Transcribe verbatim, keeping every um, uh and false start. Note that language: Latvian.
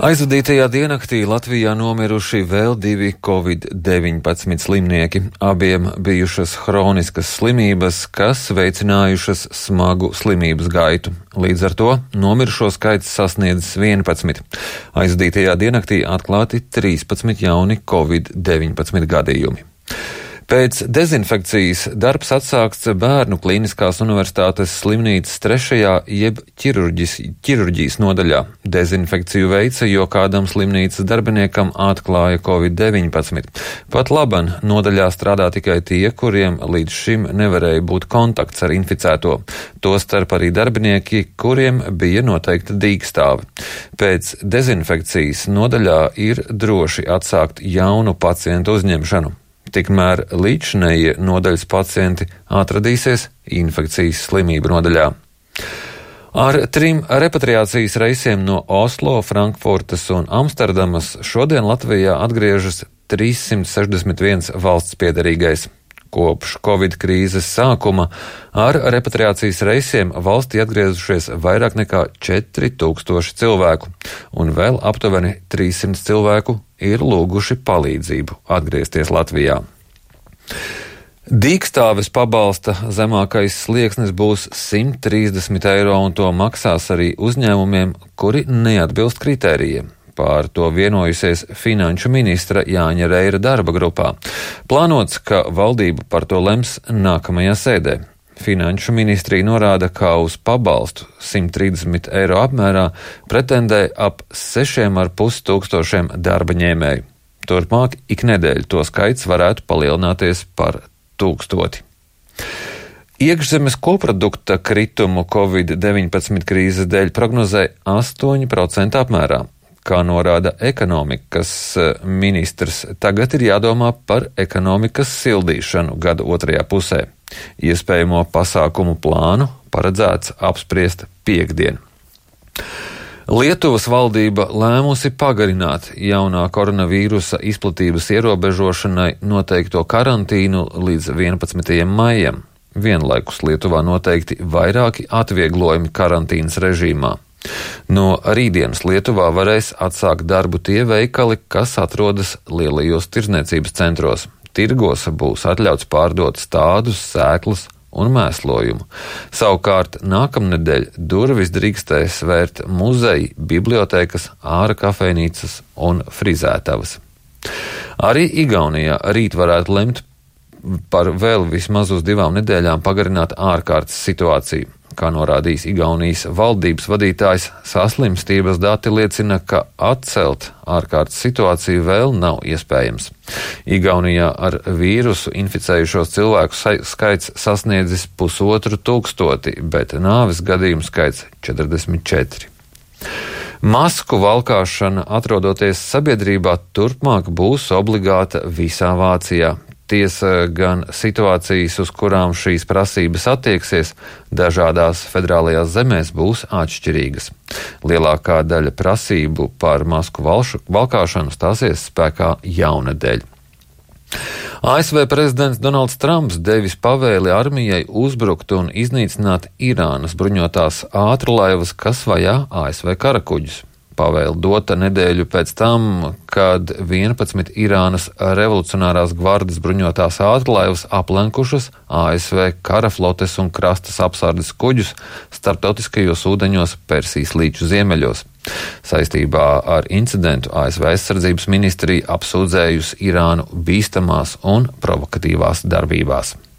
Aizvadītajā diennaktī Latvijā nomiruši vēl divi covid deviņpadsmit slimnieki. Abiem bijušas hroniskas slimības, kas veicinājušas smagu slimības gaitu. Līdz ar to nomirušo skaits sasniedzis vienpadsmit. Aizvadītajā diennaktī atklāti trīspadsmit jauni covid deviņpadsmit gadījumi. Pēc dezinfekcijas darbs atsākts Bērnu Kliniskās universitātes slimnīcas trešajā jeb ķirurģis, ķirurģijas nodaļā. Dezinfekciju veica, jo kādam slimnīcas darbiniekam atklāja covid deviņpadsmit. Pat laban nodaļā strādā tikai tie, kuriem līdz šim nevarēja būt kontakts ar inficēto. Tostarp arī darbinieki, kuriem bija noteikta dīkstāve. Pēc dezinfekcijas nodaļā ir droši atsākt jaunu pacientu uzņemšanu. Tikmēr līdzinējie nodaļas pacienti atradīsies infekcijas slimību nodaļā. Ar trim repatriācijas reisiem no Oslo, Frankfurtas un Amsterdamas šodien Latvijā atgriežas trīssimt sešdesmit viens valsts piederīgais. Kopš Covid krīzes sākuma ar repatriācijas reisiem valstī atgriezušies vairāk nekā četri tūkstoši cilvēku, un vēl aptuveni trīssimt cilvēku ir lūguši palīdzību atgriezties Latvijā. Dīkstāves pabalsta zemākais slieksnis būs simt trīsdesmit eiro, un to maksās arī uzņēmumiem, kuri neatbilst kritērijiem. Pār to vienojusies finanšu ministra Jāņa Reira darba grupā. Plānots, ka valdība par to lems nākamajā sēdē. Finanšu ministrija norāda, ka uz pabalstu simt trīsdesmit eiro apmērā pretendē ap sešiem ar pus tūkstošiem darba ņēmēju. Turpmāk ik nedēļu to skaits varētu palielināties par tūkstoti. Iekšzemes koprodukta kritumu covid deviņpadsmit krīzes dēļ prognozē astoņi procenti apmērā. Kā norāda ekonomikas ministrs, tagad ir jādomā par ekonomikas sildīšanu gada otrajā pusē. Iespējamo pasākumu plānu paredzēts apspriest piektdien. Lietuvas valdība lēmusi pagarināt jaunā koronavīrusa izplatības ierobežošanai noteikto karantīnu līdz vienpadsmitajam maijam. Vienlaikus Lietuvā noteikti vairāki atvieglojumi karantīnas režīmā. No rītdienas Lietuvā varēs atsākt darbu tie veikali, kas atrodas lielajos tirdzniecības centros. Tirgos būs atļauts pārdot stādus, sēklas un mēslojumu. Savukārt nākamnedēļ durvis drīkstēs vērt muzeji, bibliotēkas, āra kafejnīcas un frizētavas. Arī Igaunijā rīt varētu lemt par vēl vismaz uz divām nedēļām pagarināt ārkārtas situāciju. Kā norādījis Igaunijas valdības vadītājs, saslimstības dati liecina, ka atcelt ārkārtas situāciju vēl nav iespējams. Igaunijā ar vīrusu inficējušos cilvēku skaits sasniedzis pusotru tūkstoti, bet nāves gadījumu skaits četrdesmit četri. Masku valkāšana, atrodoties sabiedrībā, turpmāk būs obligāta visā Vācijā. Tiesa gan situācijas, uz kurām šīs prasības attieksies, dažādās federālajās zemēs būs atšķirīgas. Lielākā daļa prasību par masku valšu, valkāšanu stāsies spēkā jaunedēļ. A S V prezidents Donalds Trumps devis pavēli armijai uzbrukt un iznīcināt Irānas bruņotās ātrlaivas, kas vajā A S V karakuģus. Pavēle dota nedēļu pēc tam, kad vienpadsmit Irānas revolucionārās gvardes bruņotās ātrlaivas aplenkušas A S V karaflotes un krastas apsardes kuģus starptautiskajos ūdeņos Persijas līča ziemeļos. Saistībā ar incidentu A S V aizsardzības ministrija apsūdzējusi Irānu bīstamās un provokatīvās darbībās.